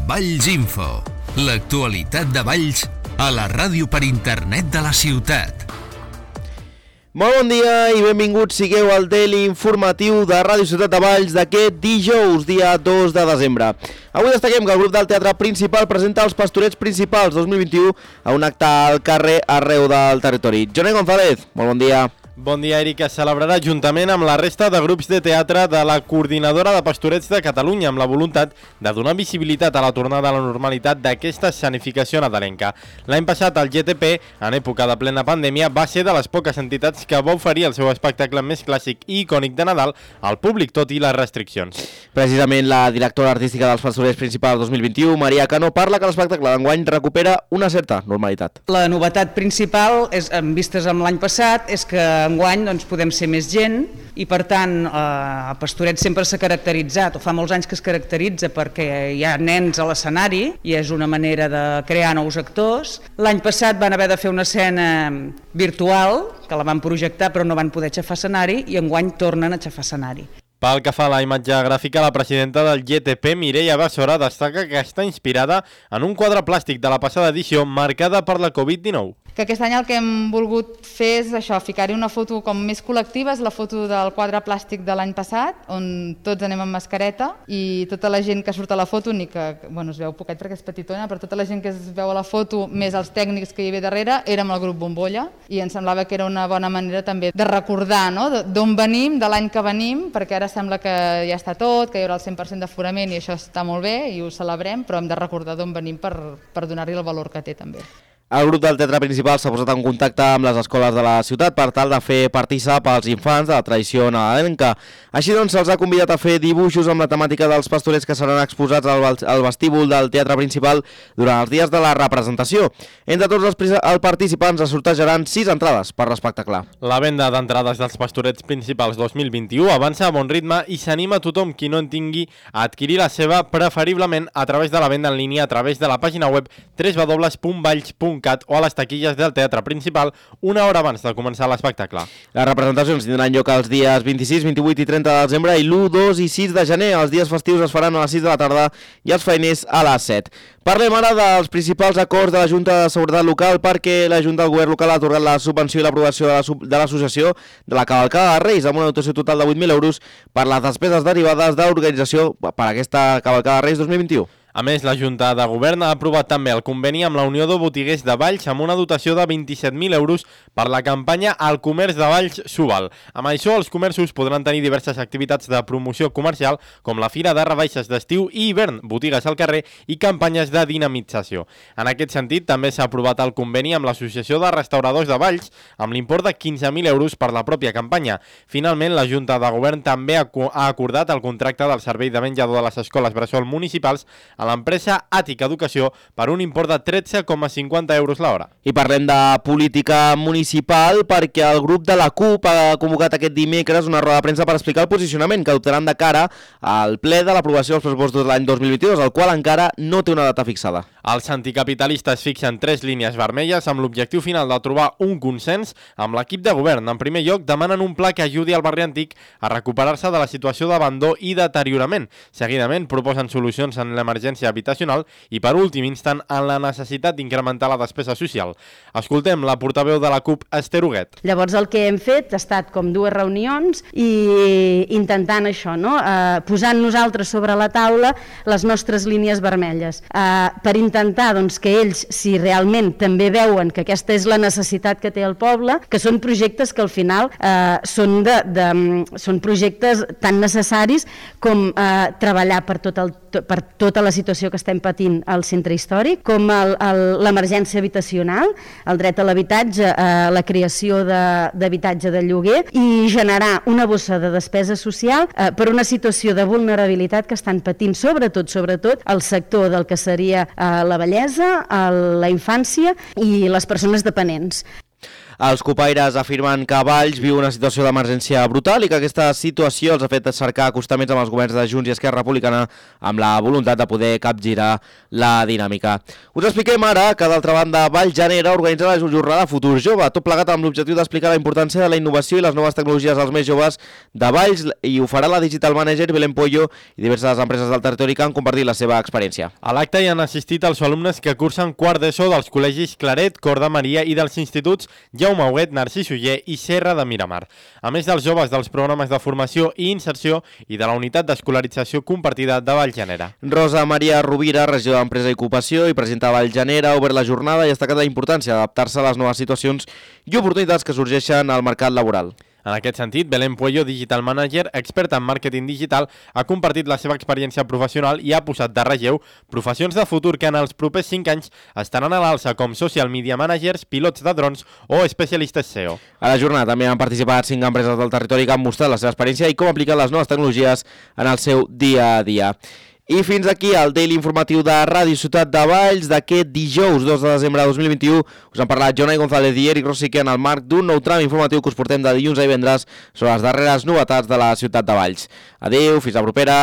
Valls Info, l'actualitat de Valls a la ràdio per internet de la ciutat. Molt bon dia i benvinguts sigueu al tele informatiu de Ràdio Ciutat de Valls d'aquest dijous, dia 2 de desembre. Avui destaquem que el grup del Teatre Principal presenta els Pastorets Principals 2021 a un acte al carrer arreu del territori. Joné González, molt bon dia. Bon dia, Eric. Es celebrarà juntament amb la resta de grups de teatre de la Coordinadora de Pastorets de Catalunya amb la voluntat de donar visibilitat a la tornada a la normalitat d'aquesta escenificació nadalenca. L'any passat el GTP, en època de plena pandèmia, va ser de les poques entitats que va oferir el seu espectacle més clàssic i icònic de Nadal al públic, tot i les restriccions. Precisament la directora artística dels Pastorets Principals 2021, Maria Cano, parla que l'espectacle d'enguany recupera una certa normalitat. La novetat principal, en vistes amb l'any passat, és que enguany podem ser més gent i per tant el Pastoret sempre s'ha caracteritzat, o fa molts anys que es caracteritza perquè hi ha nens a l'escenari i és una manera de crear nous actors. L'any passat van haver de fer una escena virtual que la van projectar però no van poder aixafar escenari i enguany tornen a aixafar escenari. Pel que fa a la imatge gràfica, la presidenta del GTP, Mireia Bessora, destaca que està inspirada en un quadre plàstic de la passada edició marcada per la Covid-19. Que aquest any el que hem volgut fer és això, ficar-hi una foto com més col·lectiva, és la foto del quadre plàstic de l'any passat, on tots anem amb mascareta i tota la gent que surt a la foto, ni que es veu poquet perquè és petitona, però tota la gent que es veu a la foto, més els tècnics que hi havia darrere, érem el grup Bombolla i ens semblava que era una bona manera també de recordar d'on venim, de l'any que venim, perquè ara sembla que ja està tot, que hi haurà el 100% d'aforament i això està molt bé i ho celebrem, però hem de recordar d'on venim per donar-hi el valor que té també. El grup del Teatre Principal s'ha posat en contacte amb les escoles de la ciutat per tal de fer partícip als infants de la tradició nadalenca. Així doncs, se'ls ha convidat a fer dibuixos amb la temàtica dels pastorets que seran exposats al vestíbul del Teatre Principal durant els dies de la representació. Entre tots els participants es sortejaran 6 entrades per l'espectacle. La venda d'entrades dels Pastorets Principals 2021 avança a bon ritme i s'anima a tothom qui no en tingui a adquirir la seva, preferiblement a través de la venda en línia a través de la pàgina web www.valls.cat o a les taquilles del Teatre Principal una hora abans de començar l'espectacle. Les representacions tindran lloc els dies 26, 28 i 30 de desembre i l'1, 2 i 6 de gener. Els dies festius es faran a les 6 de la tarda i els feiners a les 7. Parlem ara dels principals acords de la Junta de Seguretat Local perquè la Junta del Govern Local ha atorgat la subvenció i l'aprovació de l'associació de la Cavalcada de Reis amb una dotació total de 8.000 euros per les despeses derivades de l'organització per aquesta Cavalcada de Reis 2021. A més, la Junta de Govern ha aprovat també el conveni amb la Unió de Botiguers de Valls amb una dotació de 27.000 euros per la campanya Al Comerç de Valls s'ho-val. Amb això, els comerços podran tenir diverses activitats de promoció comercial com la Fira de Rebaixes d'estiu i hivern, botigues al carrer i campanyes de dinamització. En aquest sentit, també s'ha aprovat el conveni amb l'Associació de Restauradors de Valls amb l'import de 15.000 euros per la pròpia campanya. Finalment, la Junta de Govern també ha acordat el contracte del servei de menjador de les escoles bressol municipals a l'empresa Àtica Educació per un import de 13,50 euros l'hora. I parlem de política municipal perquè el grup de la CUP ha convocat aquest dimecres una roda de premsa per explicar el posicionament que adoptaran de cara al ple de l'aprovació dels pressupostos de l'any 2022, el qual encara no té una data fixada. Els anticapitalistes fixen 3 línies vermelles amb l'objectiu final de trobar un consens amb l'equip de govern. En primer lloc, demanen un pla que ajudi al barri antic a recuperar-se de la situació d'abandó i deteriorament. Seguidament, proposen solucions en l'emergència habitacional i, per últim, insten en la necessitat d'incrementar la despesa social. Escoltem la portaveu de la CUP, Esther Huguet. Llavors el que hem fet ha estat com 2 reunions i intentant això, posant nosaltres sobre la taula les nostres línies vermelles per intentar que ells, si realment també veuen que aquesta és la necessitat que té el poble, que són projectes que al final són projectes tan necessaris com treballar per tota la situació que estem patint al centre històric, com l'emergència habitacional, el dret a l'habitatge, la creació d'habitatge de lloguer i generar una bossa de despesa social per una situació de vulnerabilitat que estan patint sobretot el sector del que seria la vellesa, la infància i les persones dependents. Els copaires afirmen que Valls viu una situació d'emergència brutal i que aquesta situació els ha fet cercar acostaments amb els governs de Junts i Esquerra Republicana amb la voluntat de poder capgirar la dinàmica. Us expliquem ara que, d'altra banda, Valls genera organitzar la jornada Futur Jove, tot plegat amb l'objectiu d'explicar la importància de la innovació i les noves tecnologies als més joves de Valls, i ho farà la Digital Manager Belén Pollo i diverses empreses del territori que han compartit la seva experiència. A l'acte hi han assistit els alumnes que cursen quart d'ESO dels col·legis Claret, Cor de Maria i dels instituts Jaume Huguet, Narcís Oller i Serra de Miramar, a més dels joves dels programes de formació i inserció i de la unitat d'escolarització compartida de Vallgenera. Rosa Maria Rovira, regidora d'Empresa i Ocupació i presidenta de Vallgenera, ha obert la jornada i ha destacat la importància d'adaptar-se a les noves situacions i oportunitats que sorgeixen al mercat laboral. En aquest sentit, Belén Puello, Digital Manager, experta en màrqueting digital, ha compartit la seva experiència professional i ha posat de relleu professions de futur que en els propers 5 anys estaran a l'alça, com social media managers, pilots de drons o especialistes SEO. A la jornada també han participat 5 empreses del territori que han mostrat la seva experiència i com aplicar les noves tecnologies en el seu dia a dia. I fins aquí el Daily Informatiu de Ràdio Ciutat de Valls d'aquest dijous 2 de desembre de 2021. Us han parlat Jonai González i Eric Rosique en el marc d'un nou tram informatiu que us portem de dilluns a divendres sobre les darreres novetats de la ciutat de Valls. Adéu, fins la propera.